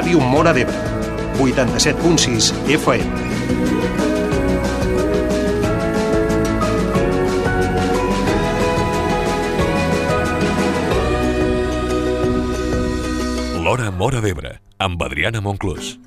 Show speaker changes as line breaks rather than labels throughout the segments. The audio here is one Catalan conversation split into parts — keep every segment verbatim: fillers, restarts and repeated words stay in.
Ràdio Móra d'Ebre, vuitanta-set punt sis F M.
L'Hora Móra d'Ebre, amb Adriana Monclús.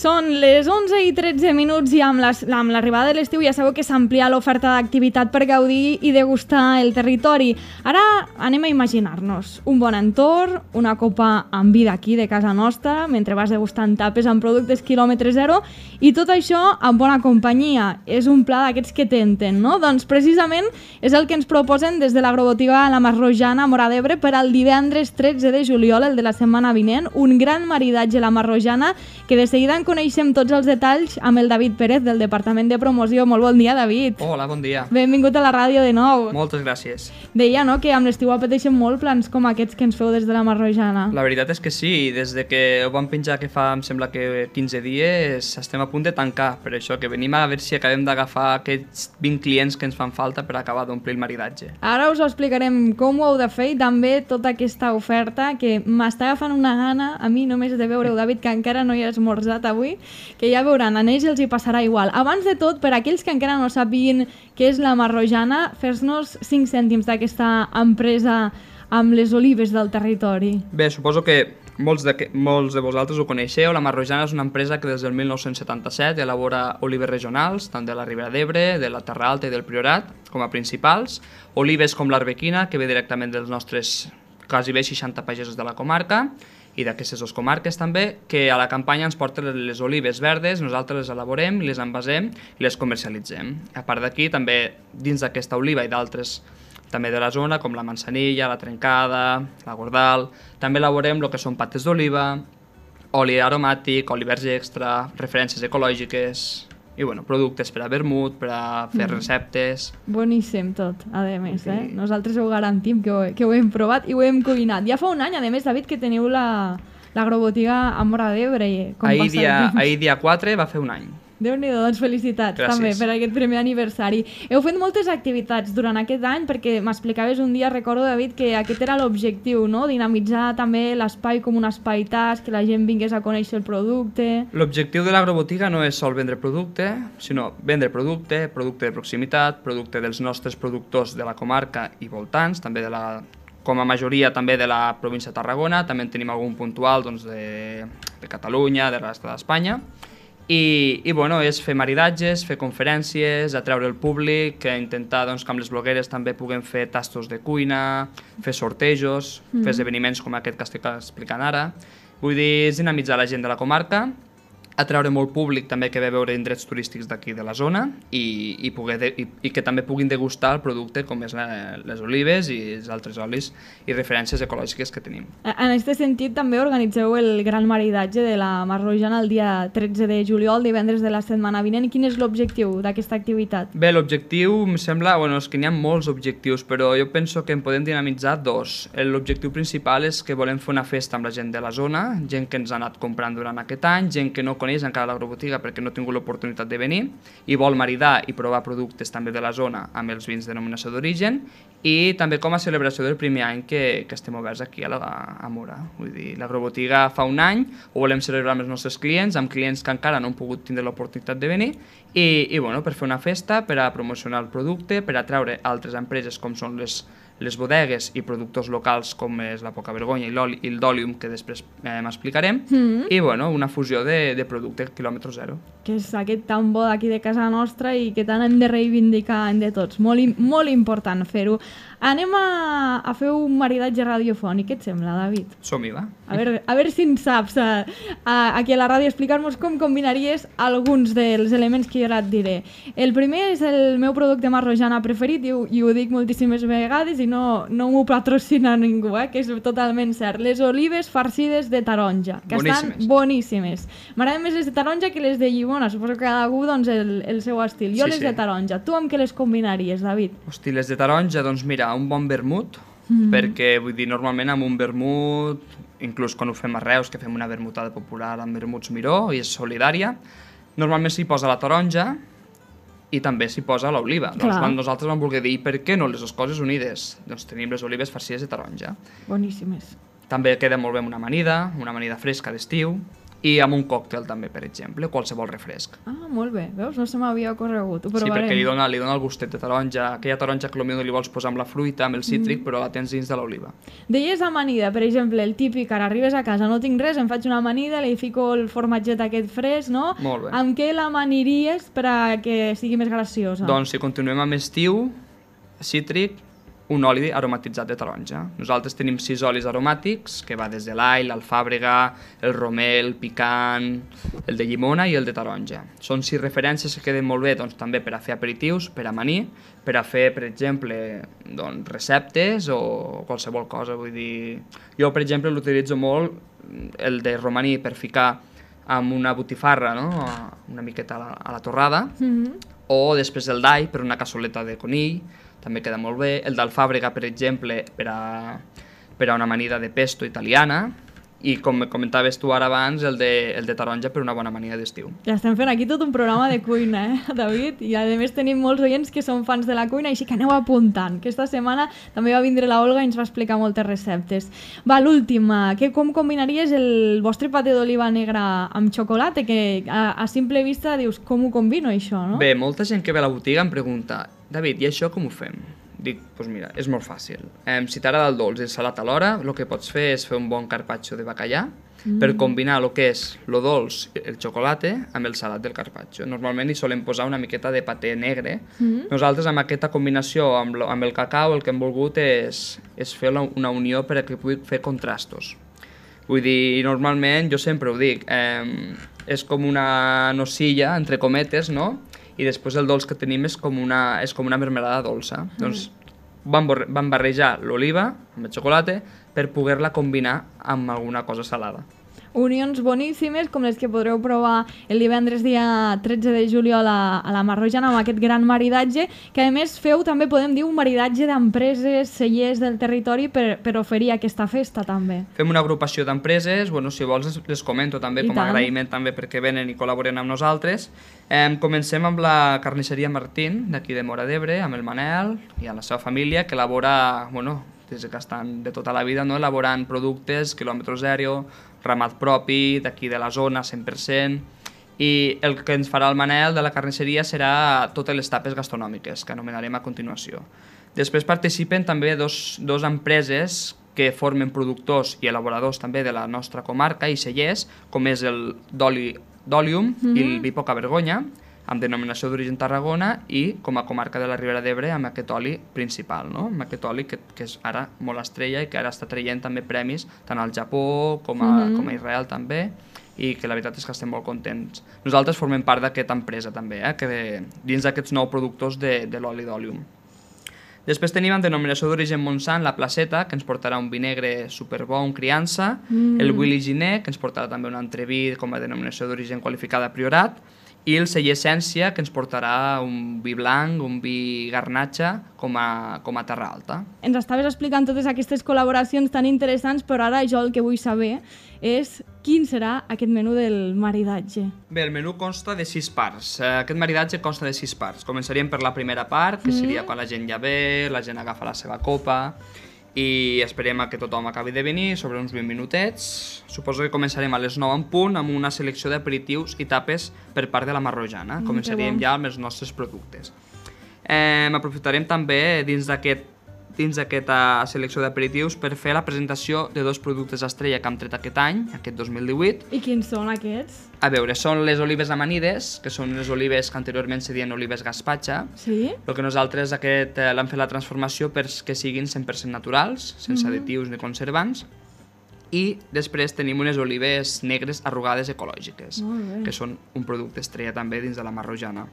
Són les onze i tretze minuts i amb l'arribada de l'estiu ja sabeu que s'amplia l'oferta d'activitat per gaudir i degustar el territori. Ara anem a imaginar-nos un bon entorn, una copa amb vida aquí de casa nostra, mentre vas degustant tapes amb productes quilòmetre zero i tot això amb bona companyia. És un pla d'aquests que tenten, no? Doncs precisament és el que ens proposen des de l'agrobotiga La Masrojana a Móra d'Ebre per al divendres tretze de juliol, el de la setmana vinent, un gran maridatge La Masrojana que de seguida en coneixem tots els detalls amb el David Pérez del Departament de Promoció. Molt bon dia, David.
Hola, bon dia.
Benvingut a la ràdio de nou.
Moltes gràcies.
Deia, no?, que amb l'estiu apeteixen molt plans com aquests que ens feu des de La Masrojana.
La veritat és que sí, des de que ho vam penjar que fa, em sembla que quinze dies, estem a punt de tancar, per això que venim a veure si acabem d'agafar aquests vint clients que ens fan falta per acabar d'omplir el maridatge.
Ara us ho explicarem com ho heu de fer i també tota aquesta oferta que m'està agafant una gana a mi només de veure-ho, David, que encara no hi he esmorzat avui, que ja veuran, a ells els hi passarà igual. Abans de tot, per aquells que encara no sàpiguen què és La Masrojana, fes-nos cinc cèntims d'aquesta empresa amb les olives del territori.
Bé, suposo que molts de, molts de vosaltres ho coneixeu. La Masrojana és una empresa que des del mil nou-cents setanta-set elabora olives regionals, tant de la Ribera d'Ebre, de la Terra Alta i del Priorat, com a principals. Olives com l'Arbequina, que ve directament dels nostres quasi bé seixanta pagesos de la comarca, i d'aquestes dues comarques també, que a la campanya ens porten les olives verdes, nosaltres les elaborem, les envasem i les comercialitzem. A part d'aquí, també dins d'aquesta oliva i d'altres també de la zona, com la manzanilla, la trencada, la gordal, també elaborem el que són pates d'oliva, oli aromàtic, oli verge extra, referències ecològiques i bueno, productes per a vermut, per a fer mm. receptes.
Boníssim tot, a més, sí. eh? Nosaltres ho garantim que ho, que ho hem provat i ho hem cuinat. Ja fa un any, a més, David, que teniu la l'agrobotiga a Móra d'Ebre.
Ahir dia, ahir dia quatre va fer un any.
Déu-n'hi-do, doncs felicitats
Gràcies.
També per aquest primer aniversari. Heu fet moltes activitats durant aquest any perquè m'explicaves un dia, recordo, David, que aquest era l'objectiu, no? Dinamitzar també l'espai com un espai tas, que la gent vingués a conèixer el producte.
L'objectiu de l'agrobotiga no és sol vendre producte, sinó vendre producte, producte de proximitat, producte dels nostres productors de la comarca i voltants, també de la, com a majoria també de la província de Tarragona, també en tenim algun puntual doncs, de, de Catalunya, de la resta d'Espanya. I, i bueno, és fer maridatges, fer conferències, atreure el públic, intentar doncs, que amb les blogueres també puguem fer tastos de cuina, fer sortejos, mm. fer esdeveniments com aquest que estic explicant ara. Vull dir, és dinamitzar la gent de la comarca, atreure molt públic també que ve a veure indrets turístics d'aquí de la zona i, i, poder de, i, i que també puguin degustar el producte com és la, les olives i els altres olis i referències ecològiques que tenim.
En aquest sentit també organitzeu el gran maridatge de La Masrojana el dia tretze de juliol, divendres de la setmana vinent. Quin és l'objectiu d'aquesta activitat?
Bé, l'objectiu em sembla, bueno, és que n'hi ha molts objectius, però jo penso que en podem dinamitzar dos. L'objectiu principal és que volem fer una festa amb la gent de la zona, gent que ens ha anat comprant durant aquest any, gent que no coneix encara l'agrobotiga perquè no ha tingut l'oportunitat de venir i vol maridar i provar productes també de la zona amb els vins de denominació d'origen i també com a celebració del primer any que, que estem oberts aquí a, la, a Móra. Vull dir, l'agrobotiga fa un any, ho volem celebrar amb els nostres clients, amb clients que encara no han pogut tindre l'oportunitat de venir i, i bueno, per fer una festa, per a promocionar el producte, per atraure altres empreses com són les les bodegues i productors locals com és la Poca Vergonya i l'Òlium, que després eh, m'explicarem, mm-hmm. i bueno, una fusió de, de productes producte quilòmetre zero.
Que és aquest tan bo d'aquí de casa nostra i que tant hem de reivindicar de tots. Molt, molt important fer-ho. Anem a, a fer un maridatge radiofònic. Què et sembla, David?
Som-hi, va.
A veure, a veure si en saps a, a, aquí a la ràdio explicar-nos com combinaries alguns dels elements que jo ara et diré. El primer és el meu producte marrojana preferit i ho, i ho dic moltíssimes vegades i no, no m'ho patrocina ningú, eh, que és totalment cert. Les olives farcides de taronja, que
boníssimes.
Estan boníssimes. M'agraden més les de taronja que les de llimona, suposo que cada algú doncs, el, el seu estil. Jo
Sí,
les
sí.
de taronja. Tu amb què les combinaries, David?
Hosti, les de taronja, doncs mira, un bon vermut,
Mhm.
perquè vull dir, normalment amb un vermut, inclús quan ho fem a Reus, que fem una vermutada popular amb vermuts Miró i és solidària, normalment s'hi posa la taronja i també s'hi posa l'oliva. Doncs
Clar.
quan nosaltres vam voler dir per què no les dues coses unides? Doncs tenim les olives farcides de taronja.
Boníssimes.
També queda molt bé amb una amanida, una amanida fresca d'estiu, i amb un còctel també, per exemple, qualsevol refresc.
Ah, molt bé. Veus? No se m'havia ocorregut. Ho
Sí,
provarem.
perquè li dona, li dona el gustet de taronja, aquella taronja que potser li vols posar amb la fruita, amb el cítric,
Mm.
però la tens dins de l'oliva.
Deies amanida, per exemple, el típic, ara arribes a casa, no tinc res, em faig una amanida, li fico el formatget aquest fresc, no?
Molt bé.
Amb què l'amaniries per a que sigui més graciosa?
Doncs si continuem amb estiu, cítric, un oli aromatitzat de taronja. Nosaltres tenim sis olis aromàtics, que va des de l'all, l'alfàbrega, el romel, el picant, el de llimona i el de taronja. Són sis referències que queden molt bé doncs, també per a fer aperitius, per a amanir, per a fer, per exemple, doncs, receptes o qualsevol cosa. Vull dir, jo, per exemple, l'utilitzo molt, el de romaní, per ficar amb una botifarra, no? Una miqueta a la, a la torrada,
Mhm.
o després el d'all per una cassoleta de conill, també queda molt bé. El d'alfàbrega, per exemple, per a, per a una amanida de pesto italiana, i com comentaves tu ara abans, el de, el de taronja per una bona amanida d'estiu.
Ja estem fent aquí tot un programa de cuina, eh, David? I a més tenim molts oients que són fans de la cuina, així que aneu apuntant. Aquesta setmana també va vindre la Olga i ens va explicar moltes receptes. Va, l'última, que com combinaries el vostre paté d'oliva negra amb xocolata? Que a, a simple vista dius, com ho combino això, no?
Bé, molta gent que ve a la botiga em pregunta David, i això com ho fem? Dic, doncs mira, és molt fàcil. Eh, si t'agrada el dolç i el salat alhora, el que pots fer és fer un bon carpaccio de bacallà mm. per combinar el que és el dolç, el xocolate, amb el salat del carpaccio. Normalment hi solem posar una miqueta de paté negre. Mm. Nosaltres amb aquesta combinació amb, lo, amb el cacau el que hem volgut és, és fer la, una unió per a que pugui fer contrastos. Vull dir, normalment, jo sempre ho dic, eh, és com una nocilla, entre cometes, no?, i després el dolç que tenim és com una, és com una mermelada dolça. Mm. Doncs vam, vam barrejar l'oliva amb el xocolata per poder-la combinar amb alguna cosa salada.
Unions boníssimes, com les que podreu provar el divendres dia tretze de juliol a, a la Marrojana amb aquest gran maridatge, que a més feu també, podem dir, un maridatge d'empreses, cellers del territori per, per oferir aquesta festa també.
Fem una agrupació d'empreses, bueno, si vols les comento també
I
com a
tant.
agraïment també perquè venen i col·laboren amb nosaltres. Eh, comencem amb la carnisseria Martín, d'aquí de Móra d'Ebre, amb el Manel i amb la seva família, que elabora, bueno, des que estan de tota la vida, no? Elaborant productes, quilòmetre zero, ramat propi, d'aquí de la zona, cent per cent, i el que ens farà el Manel de la carnisseria serà totes les tapes gastronòmiques, que anomenarem a continuació. Després participen també dos, dos empreses que formen productors i elaboradors també de la nostra comarca i cellers, com és el d'oli d'Olium mm-hmm. i el vi Poca Vergonya, amb denominació d'origen Tarragona, i com a comarca de la Ribera d'Ebre amb aquest oli principal, no? Amb aquest oli que, que és ara molt estrella i que ara està traient també premis tant al Japó com a, mm-hmm. com a Israel també, i que la veritat és que estem molt contents. Nosaltres formem part d'aquesta empresa també, eh? Que dins d'aquests nous productors de, de l'oli d'Olium. Després tenim en denominació d'origen Montsant la Placeta, que ens portarà un vi negre superbo, un criança, mm. el Willy Giné, que ens portarà també un entreví com a denominació d'origen qualificada Priorat, i el celler Essència, que ens portarà un vi blanc, un vi garnatxa, com a, com a Terra Alta.
Ens estaves explicant totes aquestes col·laboracions tan interessants, però ara jo el que vull saber és quin serà aquest menú del maridatge.
Bé, el menú consta de sis parts. Aquest maridatge consta de sis parts. Començaríem per la primera part, que seria quan la gent ja ve, la gent agafa la seva copa, i esperem a que tothom acabi de venir sobre uns vint minutets. Suposo que començarem a les nou en punt amb una selecció d'aperitius i tapes per part de la Marrojana.
Mm,
Començaríem
bon.
ja amb els nostres productes. Eh, aprofitarem també dins d'aquest dins d'aquesta selecció d'aperitius per fer la presentació de dos productes estrella que hem tret aquest any, aquest dos mil divuit.
I quins són aquests?
A veure, són les olives amanides, que són les olives que anteriorment se diuen olives gazpacha.
Sí?
Però que nosaltres aquest eh, l'hem fet la transformació perquè siguin cent per cent naturals, sense
Mhm.
additius ni conservants. I després tenim unes olives negres arrugades ecològiques,
Molt bé.
que són un producte estrella també dins de la Marrojana.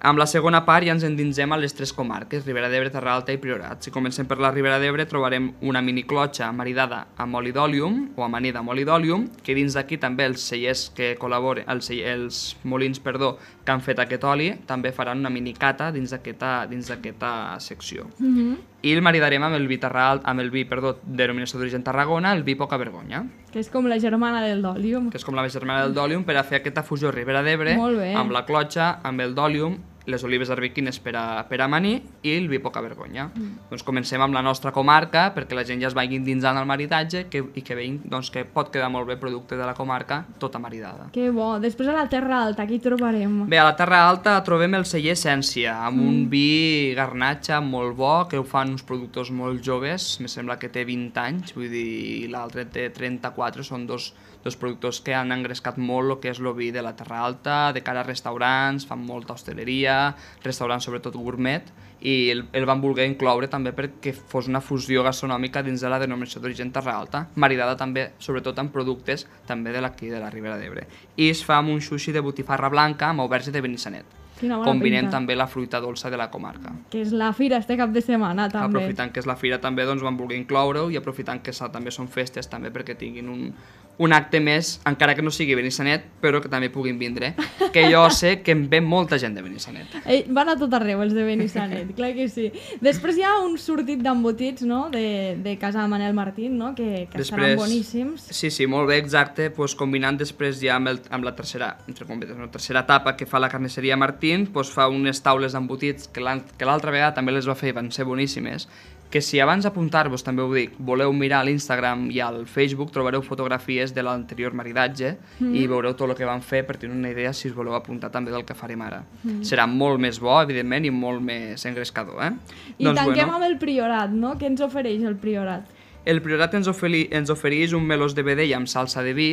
Amb la segona part ja ens endinsem a les tres comarques, Ribera d'Ebre, Terra Alta i Priorat. Si comencem per la Ribera d'Ebre trobarem una miniclotxa maridada amb oli d'òlium o amanida amb oli d'òlium, que dins d'aquí també els cellers que col·laboren, els, cell- els molins perdó, que han fet aquest oli, també faran una minicata dins d'aquesta dins d'aquesta secció.
Mhm.
I el maridarem amb el vi Terra Alta, amb el vi, perdó, denominació d'origen Tarragona, el vi Poca Vergonya,
Que és com la germana del d'òlium.
que és com la germana del d'òlium per a fer aquesta fusió Ribera d'Ebre
Molt bé.
amb la clotxa, amb el d'òlium, les olives arbequines per a, per a amanir i el vi Poca Vergonya. Mm. Doncs comencem amb la nostra comarca perquè la gent ja es vagi endinsant al maridatge que, i que veïn doncs, que pot quedar molt bé producte de la comarca tota maridada.
Que bo. Després a la Terra Alta, aquí trobarem.
Bé, a la Terra Alta trobem el celler Essència, amb mm. un vi garnatxa molt bo, que ho fan uns productors molt joves, me sembla que té vint anys, vull dir, l'altre té trenta-quatre, són dos, dos productors que han engrescat molt el que és el vi de la Terra Alta, de cara a restaurants, fan molta hosteleria, restaurants sobretot gourmet, i el, el van voler incloure també perquè fos una fusió gastronòmica dins de la denominació d'origen Terra Alta, maridada també, sobretot amb productes també de l'aquí de la Ribera d'Ebre. I es fa amb un sushi de botifarra blanca amb auberge de Benissanet.
Quina bona
Combinem
pinta.
també la fruita dolça de la comarca.
Que és la fira este cap de setmana, també.
Aprofitant que és la fira també doncs van voler incloure-ho i aprofitant que sa- també són festes també perquè tinguin un, un acte més, encara que no sigui Benissanet, però que també puguin vindre, que jo sé que em ve molta gent de Benissanet.
Ei, van a tot arreu, els de Benissanet, clar que sí. Després hi ha un sortit d'embotits, no?, de, de casa de Manel Martín, no?, que, que estaran boníssims.
Sí, sí, molt bé, exacte, pues, combinant després ja amb, el, amb la tercera, entre cometes, la tercera etapa que fa la carnisseria Martín, pues, fa unes taules d'embotits que l'an- que l'altra vegada també les va fer i van ser boníssimes, que si abans d'apuntar-vos, també ho dic, voleu mirar a l'Instagram i al Facebook, trobareu fotografies de l'anterior maridatge mm. i veureu tot el que van fer per tenir una idea si us voleu apuntar també del que farem ara. Mm. Serà molt més bo, evidentment, i molt més engrescador, eh?
I
doncs,
tanquem
bueno,
amb el Priorat, no?, què ens ofereix el Priorat?
el Priorat ens, oferi, ens ofereix un melós de vedella amb salsa de vi,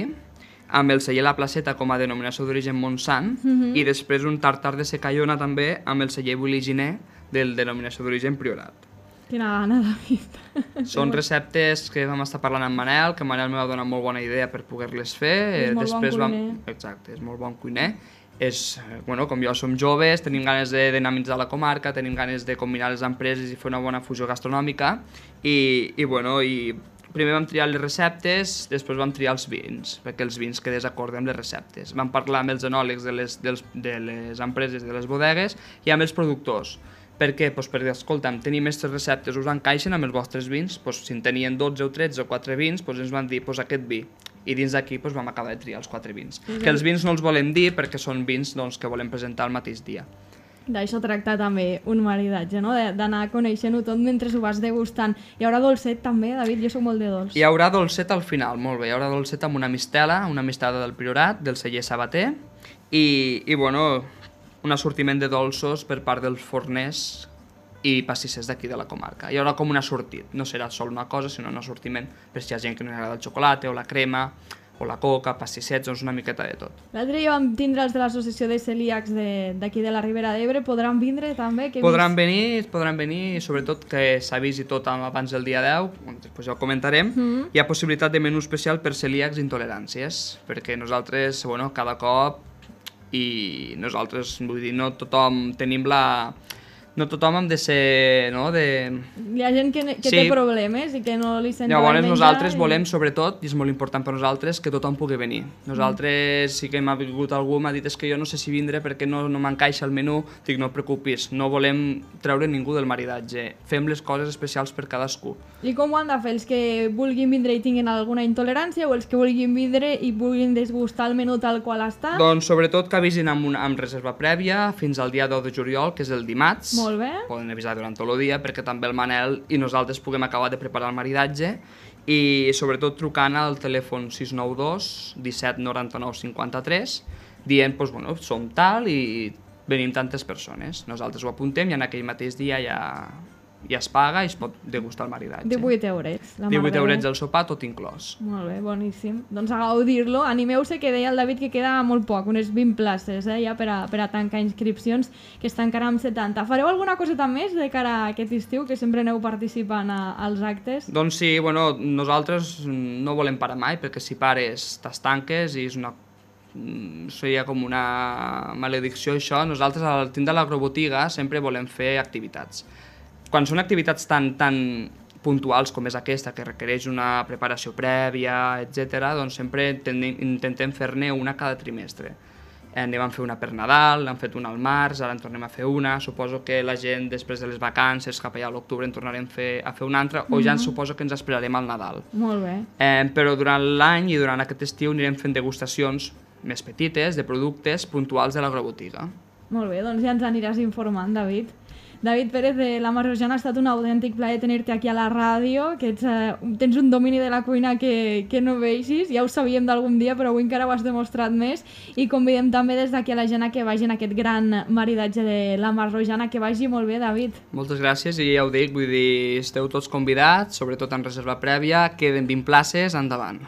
amb el celler La Placeta com a denominació d'origen Montsant,
Mhm.
i després un tartar de secallona també amb el celler Buliginer del denominació d'origen Priorat.
Quina gana, David.
Són receptes que vam estar parlant amb Manel, que Manel me va donar molt bona idea per poder-les fer.
És molt bon
Després vam...
cuiner.
Exacte, és molt bon cuiner. És, eh, bueno, com jo som joves, tenim ganes de dinamitzar la comarca, tenim ganes de combinar les empreses i fer una bona fusió gastronòmica i, i bueno, i primer vam triar les receptes, després vam triar els vins, perquè els vins que desacordem les receptes. Vam parlar amb els enòlegs de les, dels, de les empreses, de les bodegues i amb els productors. Per què? Pues perquè, escolta'm, tenim aquestes receptes, us encaixen amb els vostres vins? Pues, si en tenien dotze o tretze o quatre vins, pues ens van dir pues, aquest vi. I dins d'aquí pues, vam acabar de triar els quatre vins.
Sí, sí.
Que els vins no els volem dir perquè són vins doncs, que volem presentar el mateix dia.
D'això tracta també un maridatge, no?, De- d'anar coneixent-ho tot mentre ho vas degustant. Hi haurà dolcet també, David? Jo soc molt de dolç.
Hi haurà dolcet al final, molt bé. Hi haurà dolcet amb una mistela, una mistada del Priorat, del celler Sabater, i, i bueno, un assortiment de dolços per part dels forners i passissers d'aquí de la comarca. Hi haurà com un assortit, no serà sol una cosa, sinó un assortiment per si hi ha gent que no li agrada el xocolata o la crema, o la coca, pastissets, doncs una miqueta de tot.
L'altre dia vam tindre els de l'associació de celíacs de- d'aquí de la Ribera d'Ebre. Podran vindre també? Que he
Podran
vist-
venir, podran venir, i sobretot que s'avisi tot abans del dia deu, després ja ho comentarem.
Mhm.
Hi ha possibilitat de menú especial per celíacs i intoleràncies, perquè nosaltres, bueno, cada cop, i nosaltres, vull dir, no tothom tenim la... No tothom hem de ser, no?, de...
Hi ha gent que, ne- que
Sí.
té problemes i que no li sent
Llavors
bé menjar
nosaltres
i-
volem, sobretot, i és molt important per nosaltres, que tothom pugui venir. Nosaltres sí que m'ha vingut algú, m'ha dit és que jo no sé si vindre perquè no, no m'encaixa el menú. Dic, no et preocupis, no volem treure ningú del maridatge. Fem les coses especials per cadascú.
I com ho han de fer? Els que vulguin vindre i tinguin alguna intolerància o els que vulguin vindre i vulguin desgustar el menú tal qual està?
Doncs sobretot que avisin amb, una, amb reserva prèvia fins al dia deu de juliol, que és el dimarts.
Molt bé.
Poden avisar durant tot el dia perquè també el Manel i nosaltres puguem acabar de preparar el maridatge i sobretot trucant al telèfon sis nou dos disset noranta-nou cinquanta-tres dient, doncs, bueno, som tal i venim tantes persones. Nosaltres ho apuntem i en aquell mateix dia ja, i es paga i es pot degustar el maridatge.
divuit eurets.
divuit eurets el sopar, tot inclòs.
Molt bé, boníssim. Doncs a gaudir-lo. Animeu-se, que deia el David que queda molt poc, unes vint places eh, ja per a, per a tancar inscripcions, que està encara amb setanta. Fareu alguna coseta més de cara a aquest estiu, que sempre aneu participant a, als actes?
Doncs sí, bueno, nosaltres no volem parar mai, perquè si pares t'estanques i és una seria com una maledicció això. Nosaltres al tindre l'agrobotiga sempre volem fer activitats. Quan són activitats tan, tan puntuals com és aquesta, que requereix una preparació prèvia, etcètera, doncs sempre intentem fer-ne una cada trimestre. En vam fer una per Nadal, n'hem fet una al març, ara en tornem a fer una. Suposo que la gent, després de les vacances, cap allà a l'octubre, en tornarem fer, a fer una altra, o ja ens suposo que ens esperarem al Nadal.
Molt bé.
Eh, però durant l'any i durant aquest estiu anirem fent degustacions més petites de productes puntuals de l'agrobotiga.
Molt bé, doncs ja ens aniràs informant, David. David Pérez, de la Marrojana, ha estat un autèntic plaer tenir-te aquí a la ràdio, que ets, eh, tens un domini de la cuina que, que no veixis, ja ho sabíem d'algun dia, però avui encara ho has demostrat més, i convidem també des d'aquí a la gent a que vagi en aquest gran maridatge de la Marrojana. Que vagi molt bé, David.
Moltes gràcies, i ja ho dic, vull dir, esteu tots convidats, sobretot en reserva prèvia, queden vint places, endavant.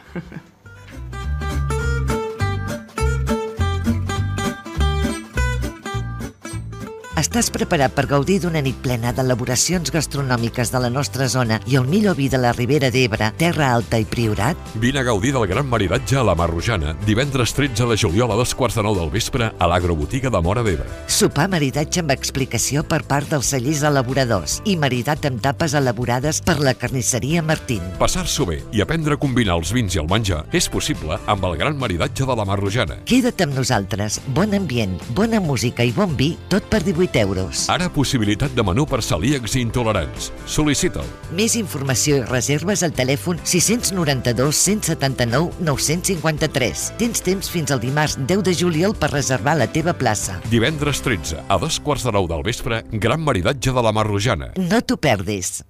Estàs preparat per gaudir d'una nit plena d'elaboracions gastronòmiques de la nostra zona i el millor vi de la Ribera d'Ebre, Terra Alta i Priorat?
Vine a gaudir del gran maridatge a la Marrojana, divendres tretze de juliol a dos quarts de nou del vespre a l'agrobotiga de Móra d'Ebre.
Sopar maridatge amb explicació per part dels cellers elaboradors i maridat amb tapes elaborades per la carnisseria Martín.
Passar-s'ho bé i aprendre a combinar els vins i el menjar és possible amb el gran maridatge de la Marrojana.
Queda't amb nosaltres. Bon ambient, bona música i bon vi, tot per divuit euros.
Ara possibilitat de menú per celíacs i intolerants. Sol·licita'l.
Més informació i reserves al telèfon sis nou dos, cent setanta-nou, nou-cents cinquanta-tres. Tens temps fins al dimarts deu de juliol per reservar la teva plaça.
Divendres tretze, a dos quarts de nou del vespre, gran maridatge de la Marrojana.
No t'ho perdis.